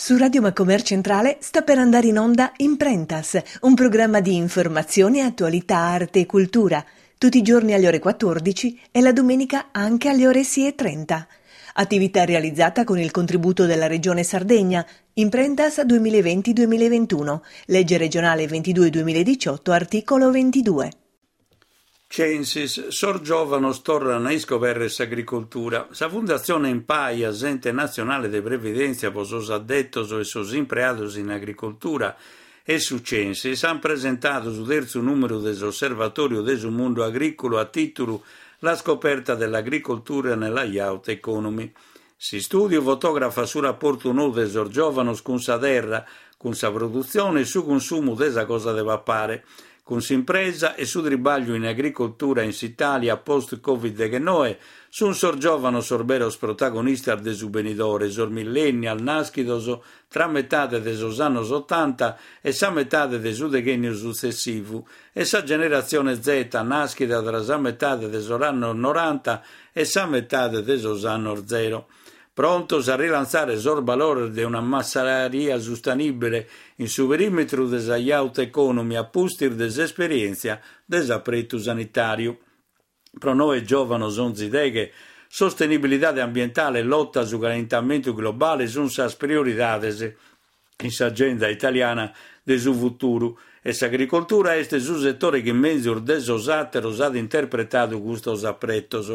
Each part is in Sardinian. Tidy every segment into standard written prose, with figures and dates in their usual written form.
Su Radio Macomer Centrale sta per andare in onda Imprentas, un programma di informazione, attualità, arte e cultura, tutti i giorni alle ore 14 e la domenica anche alle ore 6.30. Attività realizzata con il contributo della Regione Sardegna, Imprentas 2020-2021, legge regionale 22-2018, articolo 22. Censis, sos giòvanos torran a iscobèrrere s'agricoltura. Sa Fundatzione Enpaia, s'ente natzionale de previdèntzia pro sos addetos e sos impreados in agricoltura, e su Censis ant presentadu su tertzu nùmeru de s'Osservatòriu de su Mundu Agrìculu a tìtulu La scoperta dell'agricoltura nella Youth Economy. S'istùdiu fotògrafat su raportu nou de sos giòvanos cun sa terra, cun sa produtzione e su cunsumu de sa cosa de papare, cun s'impresa e su tribàgliu in agricoltura in s'Itàlia post Covid deghennoe, sunt sos giòvanos sos beros protagonistas de su benidore, sos millennial nàschidos tra metade de sos annos otanta e sa metade de su deghènniu sutzessivu e sa generatzione Z nàschida tra sa metade de sos annos noranta e sa metade de sos annos zero, prontos a rilantzare sos balores de una massaria sustanìbile in su perìmetru de sa Youth Economy a pustis de s'esperièntzia de s'apretu sanitàriu. Pro noe giòvanos onzi deghe, sostenibilidade ambientale e lota a su calentamentu globale sunt sas prioridades in s'agenda italiana de su futuru e s'agricoltura est su setore chi menzus de sos àteros at interpretadu custos apretos.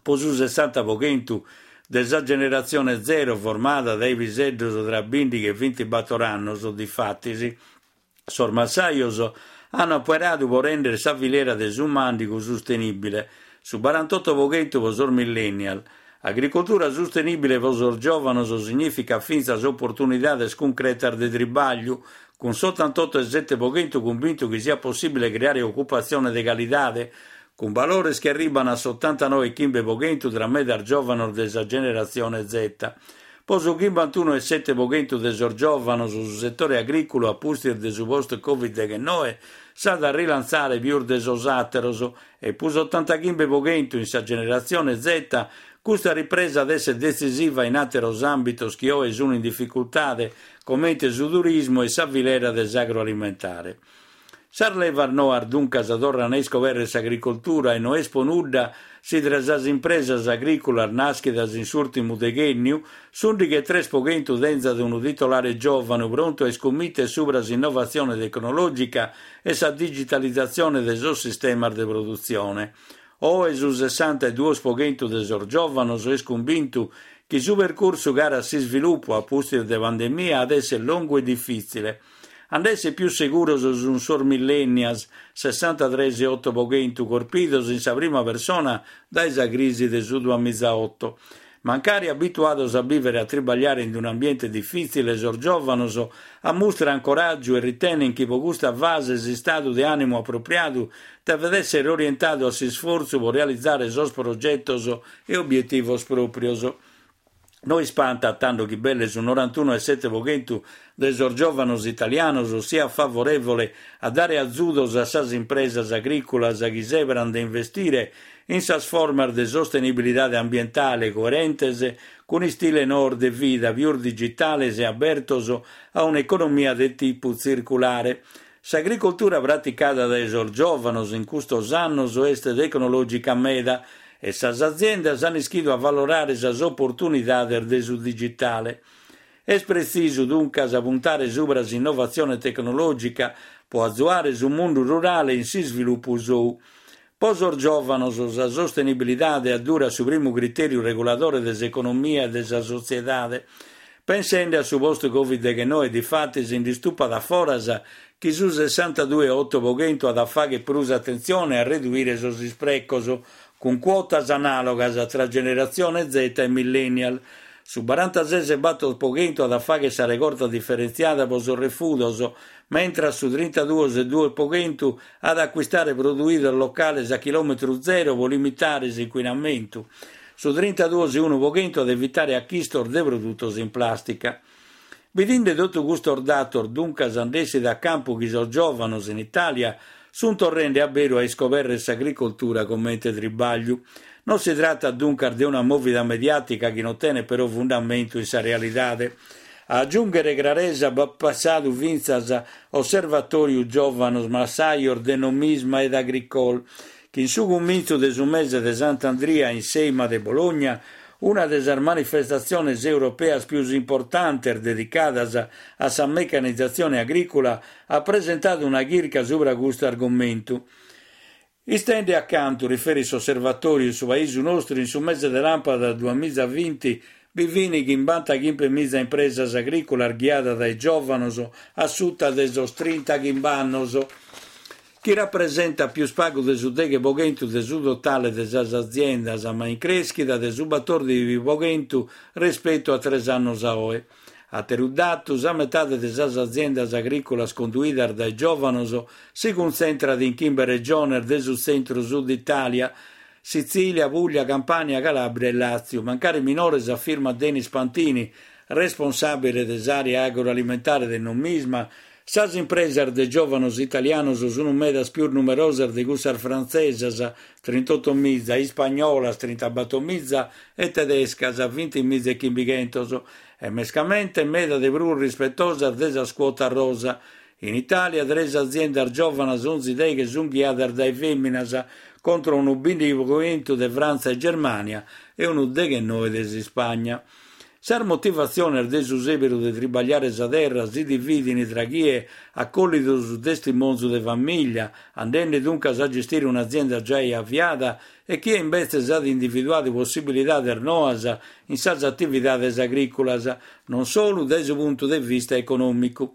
Pro su sessanta pro chentu de sa generatzione zero formada dae piseddos tra bìndighi e bintibator annos, difatis, Sos massajos ant operadu pro rèndere sa filera de su màndigu sustenìbile, su barantoto pro chentu pro sos millennial. Agricoltura sustenìbile pro sos giòvanos signìficat fintzas oportunidades cuncretas de tribàgliu, cun s'otantoto e sete pro chentu cumbintu chi siat possìbile creare ocupatzione de calidade, cun balores chi arribant a s'otantanoe e chimbe pro chentu tra medas giòvanos de sa generatzione Z. Po su chimbantunu e sete po chentu de sos giòvanos su setore agrìculu a pustis de su post Covid deghennoe s'at a rilantzare pius de sos àteros e po s'otantachimbe po chentu in sa generatzione Z custa ripresa at èssere detzisiva in àteros àmbitos chi oe sun in dificultade comente su turismu e sa filera de s'agroalimentare. Sas levas noas duncas torran a iscobèrrere s'agricoltura e no est po nudda si tra sas impresas agrìculas nàschidas in s'ùrtimu deghènniu s'ùndighi e tres po chentu tenzat unu titolare giòvanu prontu a iscummìtere subra s'innovatzione tecnològica e sa digitalizatzione de sos sistemas de produtzione. Oe su sessanta e duos po chentu de sos giòvanos est cumbintu chi su percursu cara a s'isvilupu a pustis de pandemia at èssere longu e difìtzile. A nd'èssere pius seguros sun sos millennials, sessantatres e oto po chentu, corpidos in sa prima persona dae sa crisi de su duamizaoto. Mancari abituados a bìvere e a tribagliare in un'ambiente difìtzile, sos giòvanos ammustran coràgiu e ritenen chi pro custa fase s'istadu de ànimu apropriadu devet èssere orientadu a s'isfortzu pro realizare sos progetos e obietivos pròprios. No ispantat tando chi belle su norantunu e sete po chentu de sos giòvanos italianos siat favorèvole a dare azudos a sas impresas agrìculas chi sèberan de investire in sas formas de sostenibilidade ambientale coerentes cun istile noos de vida pius digitales e abertos a un'economia de tipu tzirculare. S'agricoltura praticada dae sos giòvanos in custos annos est tecnològica meda e sas aziendas ant ischidu avalorare sas oportunidades de su digitale. Est pretzisu duncas puntare subra s'innovatzione tecnològica pro azuare su mundu rurale in s'isvilupu sou. Pro sos giòvanos sa sostenibilidade addurat su primu critèriu reguladore de s'economia e de sa sotziedade. Pensende a su post Covid deghennoe difatis nd'istupat a foras chi su sessantadue e oto po chentu at a fàghere prus atentzione a reduire sos isprecos, cun cuotas anàlogas tra generatzione Z e millennial. Su barantases e bator po chentu at a fàghere sa regorta diferentziada pro sos refudos, mentras su trintaduos e duos po chentu at a acuistare produidos locales a chilòmetru zero pro limitare s'incuinamentu. Su trintaduos e unu po chentu at a evitare achistos de produtos in plàstica. Bidinde totu custos datos duncas nd'essit a campu chi sos giòvanos in Itàlia sunt torrende a beru a iscobèrrere s'agricoltura comente tribàgliu. Non si tratat duncas de una mòvida mediàtica chi non tenet però fundamentu in sa realidade. A agiùnghere craresa b'at pensadu fintzas Osservatòriu Giòvanos Massajos de Nomisma ed Agricol, chi in su cumintzu de su mese de Sant'Andria in s'Eima de Bologna, una de sas manifestatziones europeas pius importantes dedicadas a sa mecanizatzione agrìcula, at presentadu una chirca subra custu argomentu. Istende a cantu riferit s'Osservatòriu in su paisu nostru in su mese de làmpadas duamizavinti bi fin chimbantachimbemiza impresas agrìculas ghiadas dae giòvanos a suta de sos trintachimb'annos, chi rapresentat pius pagu de su deghe po chentu de su totale de sas aziendas, ma in crèschida de su batòrdighi po chentu respetu a tres annos a oe. Àteru datu, sa metade de sas aziendas agrìculas conduidas dae giòvanos si cuntzentrat in chimbe regiones de su tzentru-sud Itàlia, Sitzìlia, Pùglia, Campània, Calàbria e Làtziu. Mancari minores, afirmat Denis Pantini, responsàbile de s'àrea agroalimentare de Nomisma, Sas impresas de giòvanos italianos sunt medas pius numerosas de cussas frantzesas, trintottomiza, ispagnolas, trintabattomiza, e tedescas, vintimiza e chimbighentos, e mescamente meda de prus rispetosas de sas cuotas rosa. In Itàlia tres aziendas giòvanas onzi deghe sunt ghiadas dae fèminas, contra unu bìndighi pro chentu de Frantza e Germània e unu deghenoe de s'Ispagna. Sas motivatziones de su sèberu de tribagliare sa terra si dividin tra chie at collidu su testimonzu de famìllia, andende duncas a gestire un'azienda giai aviada, e chie imbetzes at individuadu possibilidades noas in sas atividades agrìculas, non solu dae su puntu de vista econòmicu.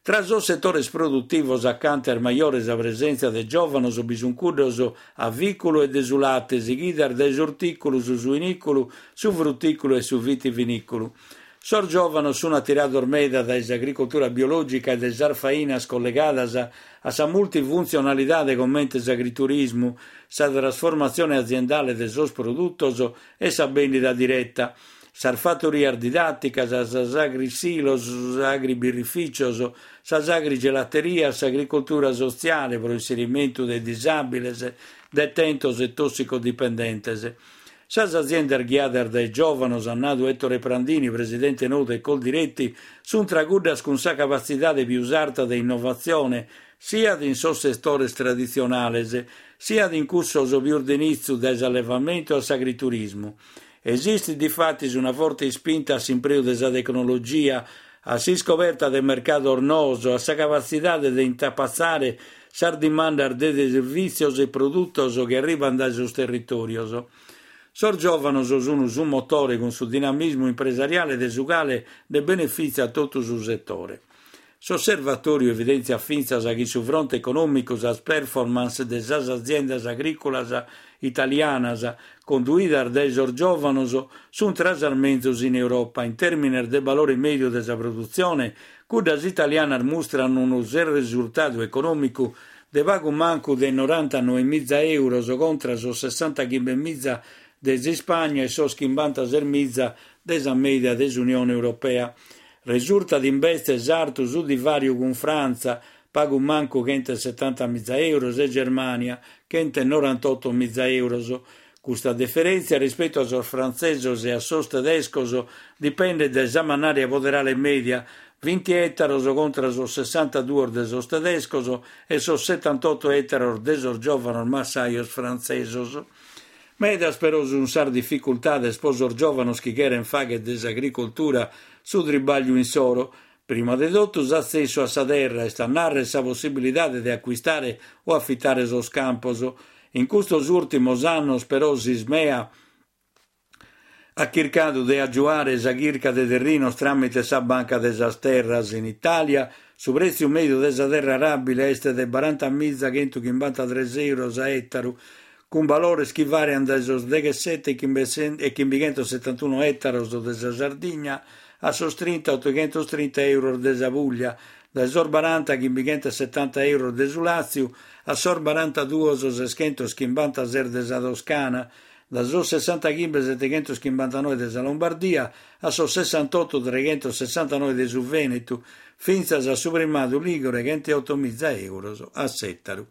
Tra sos setores produtivos acanta est majore sa presèntzia de giòvanos bi sunt cuddos avìculu e de su late, sighidas dae s'ortìculu, su suinìculu, su frutìculu e su vitivinìculu. Sos giòvanos sunt atirados meda dae s'agricoltura biològica e dae sas fainas collegadas a sa multifuntzionalidade comente s'agriturismu, sa trasformatzione aziendale de sos produtos e sa bèndida direta. Sas fatorias didàticas, sas agrisilos, sos agribirrifìcios, sas agrigelaterias, s'agricoltura sotziale pro inserimentu de disàbiles, detentos e tossicodipendentes. Sas aziendas ghiadas dae giòvanos, at nadu Ettore Prandini, presidente nou de Coldiretti, sunt tra cuddas cun sa capatzidade pius arta de innovatzione, siat in sos setores traditzionales, siat in cussos pius de nitzu, dae s'allevamentu a s'agriturismu. Esistit difatis una forte ispinta a s'impreu de sa tecnologia, a s'iscoberta de mercados noos, a sa capatzidade de intapatzare sas dimandas de servìtzios e produtos chi arribant dae sos territòrios. Sos giòvanos sunt su motore cun su dinamismu impresariale de su cale nde benefìtziat totu su setore. S'Osservatòriu evidèntziat fintzas chi in su fronte econòmicu sas performance de sas aziendas agrìculas italianas conduidas dae sos giòvanos sunt tra sas menzus in Europa. In tèrmines de balore mèdiu de sa produtzione, cuddas italianas mustran unu resurtadu econòmicu de pagu mancu de norantanoemiza euros contra sos sessantachimbemiza de s'Ispagna e sos chimbantasesmiza de sa mèdia de s'Unione Europea. Resurtat imbetzes artu su divàriu cun Frantza, pagu mancu chentesetantamiza euros, e Germània, chentenorantottomiza euros. Custa diferèntzia rispetu a sos frantzesos e a sos tedescos dipendet dae sa mannària poderale mèdia, vinti ètaros contra sos sessantaduos de sos tedescos e sos setantotto ètaros de sos giòvanos massajos frantzesos. Medas però sunt sas dificultades pro sos giòvanos chi cherent fàghere de s'agricoltura su tribàgliu insoro. Prima de totu s'atzessu a sa terra, est a nàrrere sa possibilidade de acuistare o afitare sos campos. In custos ùrtimos annos però s'Ismea at chircadu de agiuare sa chirca de terrinos tràmite sa Banca de sas Terras. In Itàlia su prètziu mèdiu de sa terra aràbile est de barantamiza chentuchimbantatres euros a ètaru, cun balores chi vàriant dae sos deghessete e chimbichentosetantunu ètaros de sa Sardigna a sos trinta otoghentostrinta euros de sa Pùglia, dae sos baranta chimbichentosetanta euros de su Làtziu a sos barantaduos seschentoschimbanta-ses de sa Toscana, dae sos sessantachimbe seteghentoschimbantanove de sa Lombardia a sos sessantotto treghentosessantanoe de su Vènetu, fintzas a su primadu lìgure chenteotomiza euros a s'ètaru.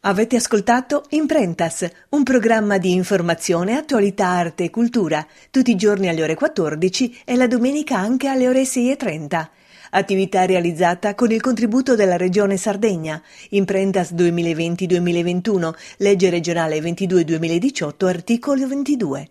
Avete ascoltato Imprentas, un programma di informazione, attualità, arte e cultura, tutti i giorni alle ore 14 e la domenica anche alle ore 6.30. Attività realizzata con il contributo della Regione Sardegna. Imprentas 2020-2021, legge regionale 22-2018, articolo 22.